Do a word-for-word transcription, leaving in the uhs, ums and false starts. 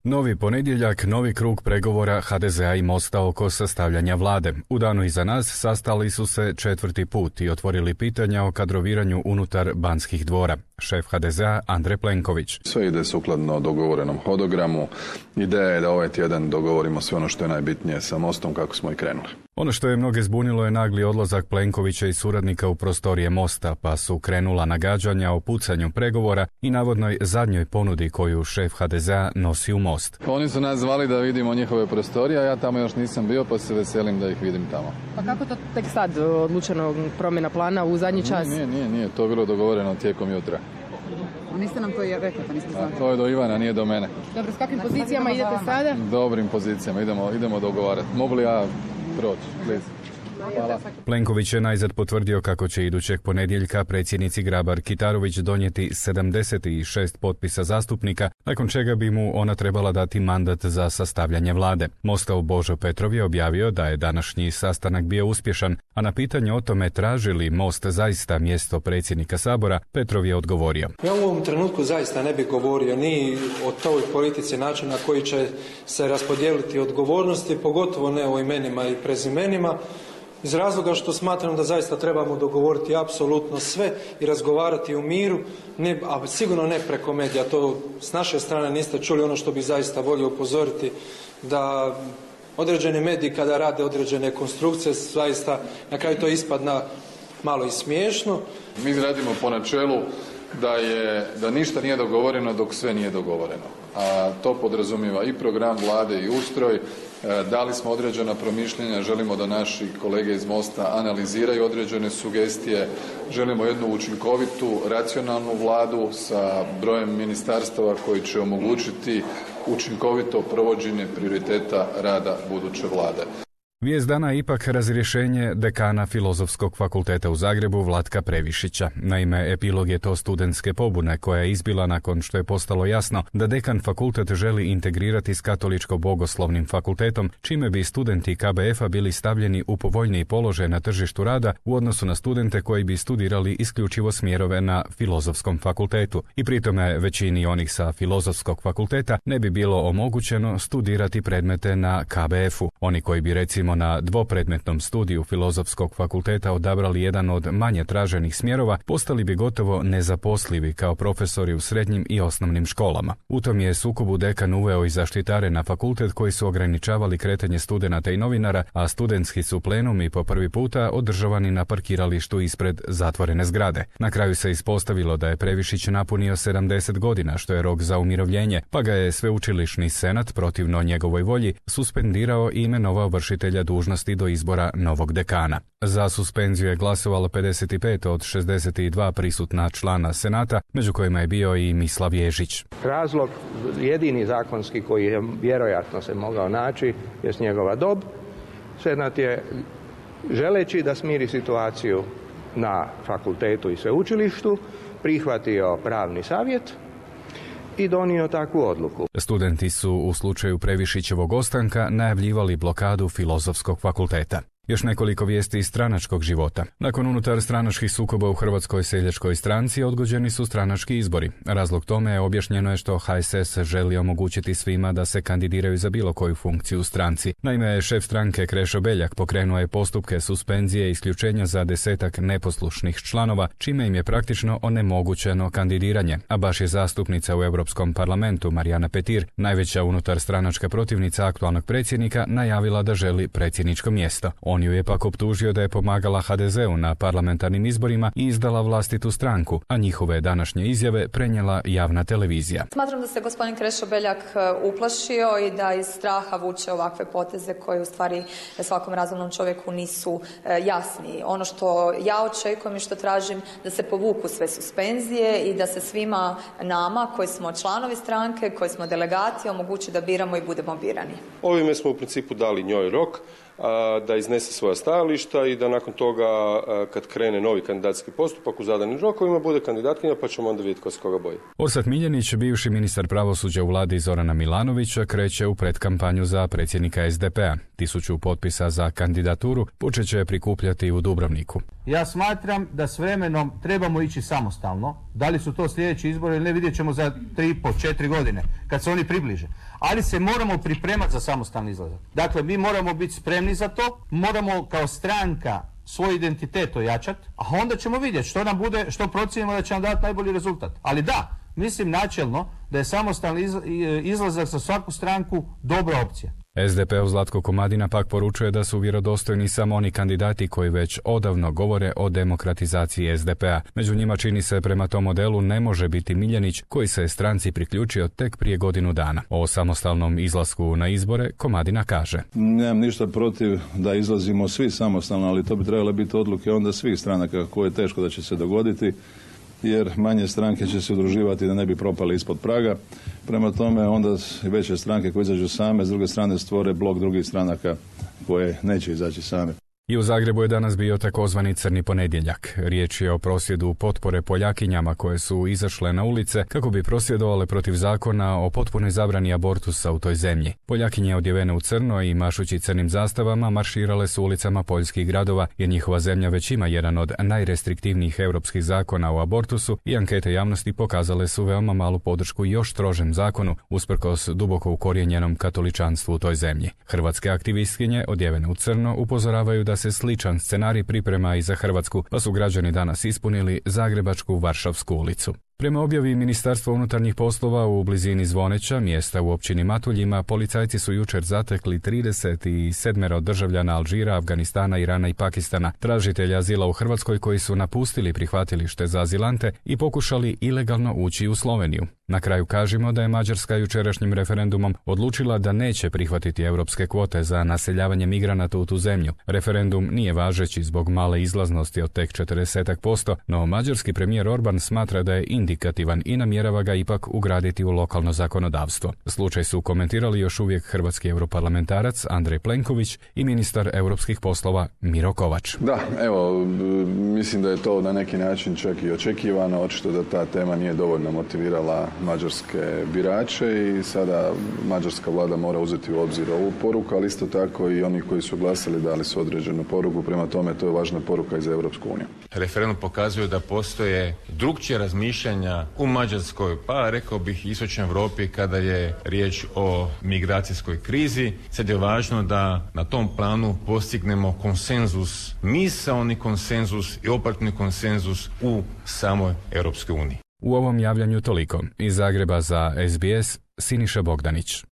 Novi ponedjeljak, novi krug pregovora ha de zea i Mosta oko sastavljanja vlade. U danu iza nas sastali su se četvrti put i otvorili pitanja o kadroviranju unutar Banskih dvora. Šef ha de zea Andrej Plenković. Sve ide sukladno dogovorenom hodogramu. Ideja je da ovaj tjedan dogovorimo sve ono što je najbitnije sa Mostom kako smo i krenuli. Ono što je mnoge zbunilo je nagli odlazak Plenkovića i suradnika u prostorije Mosta, pa su krenula nagađanja o pucanju pregovora i navodnoj zadnjoj ponudi koju šef ha de zea nosi u Most. Oni su nas zvali da vidimo njihove prostorije, a ja tamo još nisam bio, pa se veselim da ih vidim tamo. Pa kako to tek sad odlučeno promjena plana u zadnji čas? Nije, nije, nije. To je bilo dogovoreno tijekom jutra. Niste nam to rekli, pa niste znali. To je do Ivana, nije do mene. Dobro, s kakvim pozicijama idete sada? Dobrim pozicijama, idemo, idemo dogovarati. Mogu li ja proći, please? Hvala. Plenković je najzad potvrdio kako će idućeg ponedjeljka predsjednici Grabar-Kitarović donijeti sedamdeset šest potpisa zastupnika, nakon čega bi mu ona trebala dati mandat za sastavljanje vlade. Mostov Božo Petrov je objavio da je današnji sastanak bio uspješan, a na pitanje o tome traži li Most zaista mjesto predsjednika Sabora, Petrov je odgovorio. Ja u ovom trenutku zaista ne bih govorio ni o toj politici načina koji će se raspodijeliti odgovornosti, pogotovo ne o imenima i prezimenima, iz razloga što smatram da zaista trebamo dogovoriti apsolutno sve i razgovarati u miru, ne, a sigurno ne preko medija. To s naše strane niste čuli. Ono što bi zaista volio upozoriti, da određeni mediji kada rade određene konstrukcije, zaista na kraju to ispadna malo i smiješno. Mi radimo po načelu da, je, da ništa nije dogovoreno dok sve nije dogovoreno. A to podrazumijeva i program vlade i ustroj. Dali smo određena promišljenja, želimo da naši kolege iz Mosta analiziraju određene sugestije, želimo jednu učinkovitu, racionalnu vladu sa brojem ministarstava koji će omogućiti učinkovito provođenje prioriteta rada buduće vlade. Vijest dana je ipak razrješenje dekana Filozofskog fakulteta u Zagrebu Vlatka Previšića. Naime, epilog je to studentske pobune koja je izbila nakon što je postalo jasno da dekan fakultet želi integrirati s katoličko-bogoslovnim fakultetom, čime bi studenti ka be efa bili stavljeni u povoljniji položaj na tržištu rada u odnosu na studente koji bi studirali isključivo smjerove na Filozofskom fakultetu. I pritome većini onih sa Filozofskog fakulteta ne bi bilo omogućeno studirati predmete na ka be efu. Oni koji bi recimo na dvopredmetnom studiju Filozofskog fakulteta odabrali jedan od manje traženih smjerova, postali bi gotovo nezaposlivi kao profesori u srednjim i osnovnim školama. U tom je sukobu dekan uveo i zaštitare na fakultet koji su ograničavali kretanje studenata i novinara, a studentski su plenumi po prvi puta održavani na parkiralištu ispred zatvorene zgrade. Na kraju se ispostavilo da je Previšić napunio sedamdeset godina, što je rok za umirovljenje, pa ga je sveučilišni senat protivno njegovoj volji suspendirao i imenovao vršitelja dužnosti do izbora novog dekana. Za suspenziju je glasovalo pedeset pet od šezdeset dva prisutna člana senata, među kojima je bio i Mislav Ježić. Razlog jedini zakonski koji je vjerojatno se mogao naći je njegova dob. Senat je, želeći da smiri situaciju na fakultetu i sveučilištu, prihvatio pravni savjet i donio takvu odluku. Studenti su u slučaju Previšićevog ostanka najavljivali blokadu Filozofskog fakulteta. Još nekoliko vijesti iz stranačkog života. Nakon unutar stranačkih sukoba u Hrvatskoj seljačkoj stranci odgođeni su stranački izbori. Razlog tome je objašnjeno je što ha es es želi omogućiti svima da se kandidiraju za bilo koju funkciju u stranci. Naime, šef stranke Krešo Beljak pokrenuo je postupke suspenzije i isključenja za desetak neposlušnih članova, čime im je praktično onemogućeno kandidiranje. A baš je zastupnica u Europskom parlamentu Marijana Petir, najveća unutar stranačka protivnica aktualnog predsjednika, najavila da želi predsjedničko mjesto. On ju je pak optužio da je pomagala ha de zeu na parlamentarnim izborima i izdala vlastitu stranku, a njihove današnje izjave prenijela javna televizija. Smatram da se gospodin Krešo Beljak uplašio i da iz straha vuče ovakve poteze koje u stvari svakom razumnom čovjeku nisu jasni. Ono što ja očekujem i što tražim da se povuku sve suspenzije i da se svima nama koji smo članovi stranke, koji smo delegati, omogući da biramo i budemo birani. Ovime smo u principu dali njoj rok. da iznese svoja stajališta i da nakon toga, kad krene novi kandidacijski postupak u zadanim rokovima, bude kandidatkinja, pa ćemo onda vidjeti ko se koga boji. Orsat Miljenić, bivši ministar pravosuđa u vladi Zorana Milanovića, kreće u predkampanju za predsjednika es de pe-a. Tisuću potpisa za kandidaturu počet će prikupljati u Dubrovniku. Ja smatram da s vremenom trebamo ići samostalno. Da li su to sljedeći izbori ili ne, vidjet ćemo za tri i po, četiri godine, kad se oni približe. Ali se moramo pripremati za samostalni izlazak. Dakle, mi moramo biti spremni za to, moramo kao stranka svoj identitet ojačati, a onda ćemo vidjeti što nam bude, što procijenimo da će nam dati najbolji rezultat. Ali da, mislim načelno da je samostalni izlazak za svaku stranku dobra opcija. es de pe-ov Zlatko Komadina pak poručuje da su vjerodostojni samo oni kandidati koji već odavno govore o demokratizaciji es de pe-a. Među njima, čini se, prema tom modelu ne može biti Miljenić, koji se je stranci priključio tek prije godinu dana. O samostalnom izlasku na izbore Komadina kaže: Nemam ništa protiv da izlazimo svi samostalno, ali to bi trebalo biti odluke onda svih stranaka, koje je teško da će se dogoditi, jer manje stranke će se udruživati da ne bi propale ispod praga. Prema tome, onda veće stranke koje izađu same, s druge strane stvore blok drugih stranaka koje neće izaći same. I u Zagrebu je danas bio takozvani crni ponedjeljak. Riječ je o prosvjedu potpore Poljakinjama koje su izašle na ulice kako bi prosvjedovale protiv zakona o potpunoj zabrani abortusa u toj zemlji. Poljakinje odjevene u crno i mašući crnim zastavama marširale su ulicama poljskih gradova, jer njihova zemlja već ima jedan od najrestriktivnijih europskih zakona o abortusu i ankete javnosti pokazale su veoma malu podršku još strožem zakonu, usprkos duboko ukorijenjenom katoličanstvu u toj zemlji. Hrvatske aktivistkinje odjevene u crno upozoravaju da se sličan scenarij priprema i za Hrvatsku, pa su građani danas ispunili Zagrebačku Varšavsku ulicu. Prema objavi Ministarstva unutarnjih poslova u blizini Zvoneća, mjesta u općini Matuljima, policajci su jučer zatekli trideset sedam državljana Alžira, Afganistana, Irana i Pakistana, tražitelja azila u Hrvatskoj koji su napustili prihvatilište za azilante i pokušali ilegalno ući u Sloveniju. Na kraju kažemo da je Mađarska jučerašnjim referendumom odlučila da neće prihvatiti europske kvote za naseljavanje migranata u tu zemlju. Referendum nije važeći zbog male izlaznosti od tek četrdeset posto, no mađarski premijer Orban smatra da je indikativan i namjerava ga ipak ugraditi u lokalno zakonodavstvo. Slučaj su komentirali još uvijek hrvatski europarlamentarac Andrej Plenković i ministar europskih poslova Miro Kovač. Da, evo, mislim da je to na neki način čak i očekivano, očito da ta tema nije dovoljno motivirala mađarske birače i sada mađarska vlada mora uzeti u obzir ovu poruku, ali isto tako i oni koji su glasali dali su određenu poruku, prema tome to je važna poruka i za Europsku uniju. Referendum pokazuje da postoje drukčije razmišljanja u Mađarskoj, pa rekao bih i istočnoj Europi kada je riječ o migracijskoj krizi. Sad je važno da na tom planu postignemo konsenzus, misaoni konsenzus i operativni konsenzus u samoj Europskoj uniji. U ovom javljanju toliko. Iz Zagreba za es be es, Siniša Bogdanić.